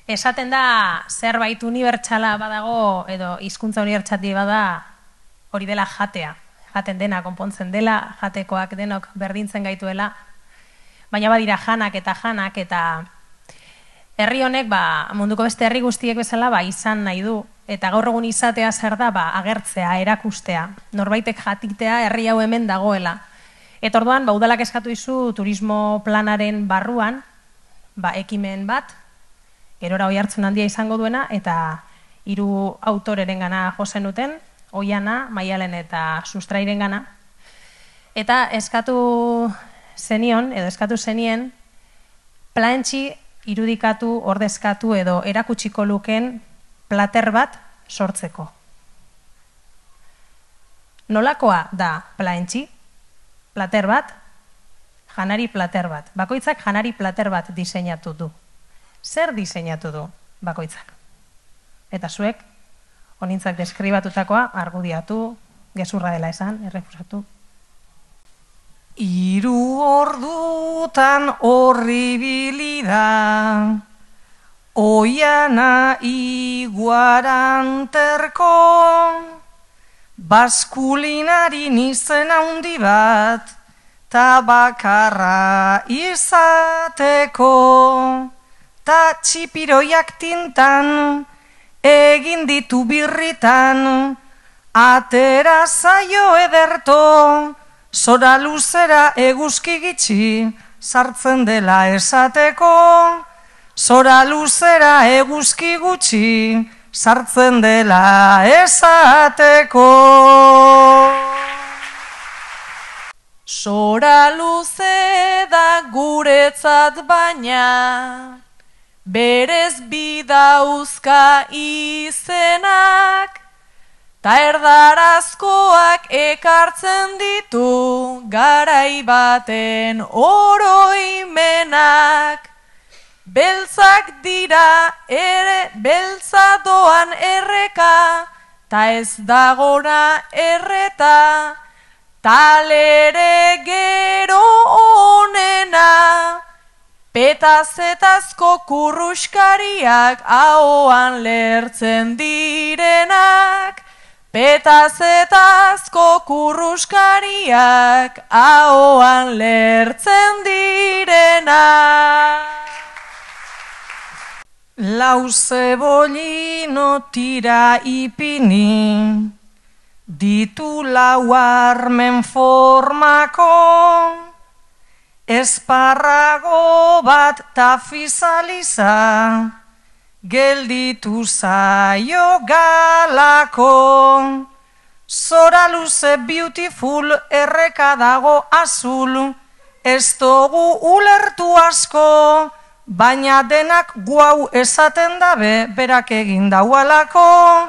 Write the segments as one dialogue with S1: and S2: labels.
S1: Esaten da zerbait unibertsala badago edo hizkuntza unibertsali bada hori dela jatea. Jaten dena, konpontzen dela, jatekoak denok berdintzen gaituela. Baina badira janak eta herri honek munduko beste herri guztiek bezala izan nahi du. Eta gaur egun izatea zer da agertzea, erakustea. Norbaitek jatitea herri hau hemen dagoela. Eta orduan udalak eskatu dizu turismo planaren barruan ekimen bat, gerora oihartzun handia izango duena, eta 3 autorerengana jo zenuten, Oiana, Maialen eta Sustrairengana. Eta eskatu zenien, plantxi irudikatu, ordezkatu edo erakutsiko luken plater bat sortzeko. Nolakoa da plantxi? Plater bat, janari plater bat. Bakoitzak janari plater bat diseinatu du. Zer diseinatu du bakoitzak? Eta zuek, honintzak deskribatutakoa, argudiatu, gezurra dela esan, errefusatu.
S2: 3 ordutan horribili da, Oiana iguaranterko, baskulinari izen handi bat, ta bakarra izateko, ta txipiroiak tintan, egin ditu birritan, atera zaio ederto, zora luzera eguzki gitxi, sartzen dela esateko, zora luzera eguzki gutxi, sartzen dela esateko.
S3: Zora luze da guretzat baina, berez bidauzka izenak, ta erdarazkoak ekartzen ditu garai baten oroimenak. Beltzak dira ere beltza doan erreka, ta ez dagora erreta, talere gero onena. Petazetazko kurruskariak ahoan lertzen direnak, petazetazko kurruskariak ahoan lertzen direnak.
S2: Lau zebolino tira ipini, ditu 4 armen formako, esparrago bat tafizaliza, gelditu zaio galako. Zora luze beautiful erreka dago azul, ez dugu ulertu asko, baina denak guau esaten dabe, berak egin daualako,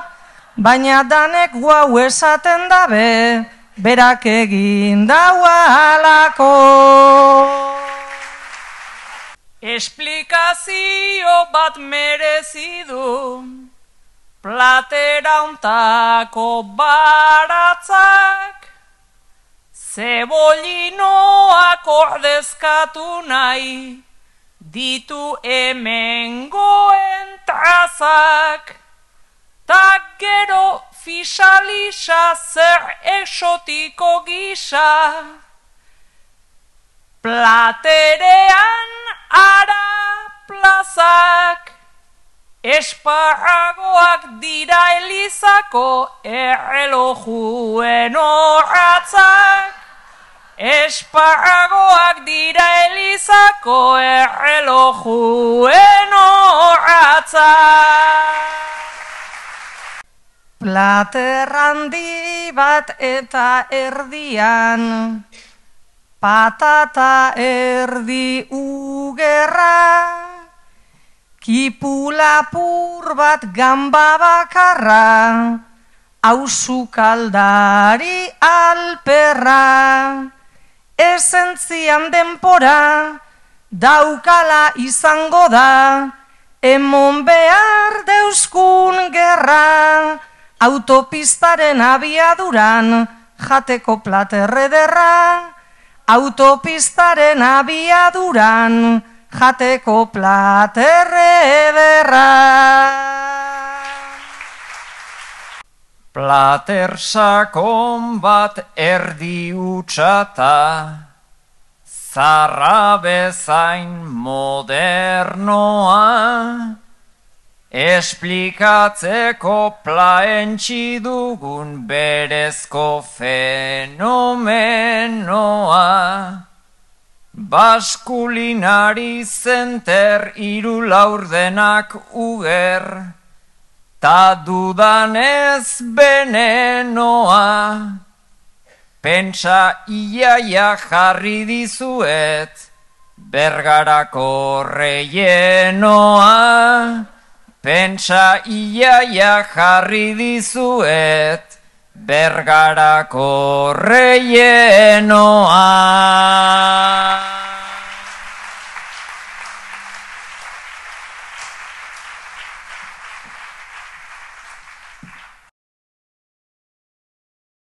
S2: baina danek guau esaten dabe, berak egin daualako.
S3: Esplikazio bat merezi du, platera untako baratzak, zebolinoak ordezkatu nahi, ditu hemengoen trazak, ta gero fisalisa zer exotiko gisa, platerean ara plazak, esparragoak dira elizako errelojuen orratzak, esparragoak dira elizako errelojuen orratzak.
S2: Plater handi bat eta erdian, patata erdi ugerra, kipulapur bat gamba bakarra, auzukaldari alperra, esentzian denpora, daukala izango da, emon behar deuskun gerra, autopistaren abiaduran, jateko platerrederra, autopistaren abiaduran, jateko platerrederra.
S4: Plater sakon bat erdi utxata, zarra bezain modernoa, esplikatzeko plaentxi dugun berezko fenomenoa. Baskulinari zenter hiru laurdenak uger, ta dudanez venenoa. Pentsa iaia jarri dizuet, Bergarako reienoa. Pentsa iaia jarri dizuet, Bergarako reienoa.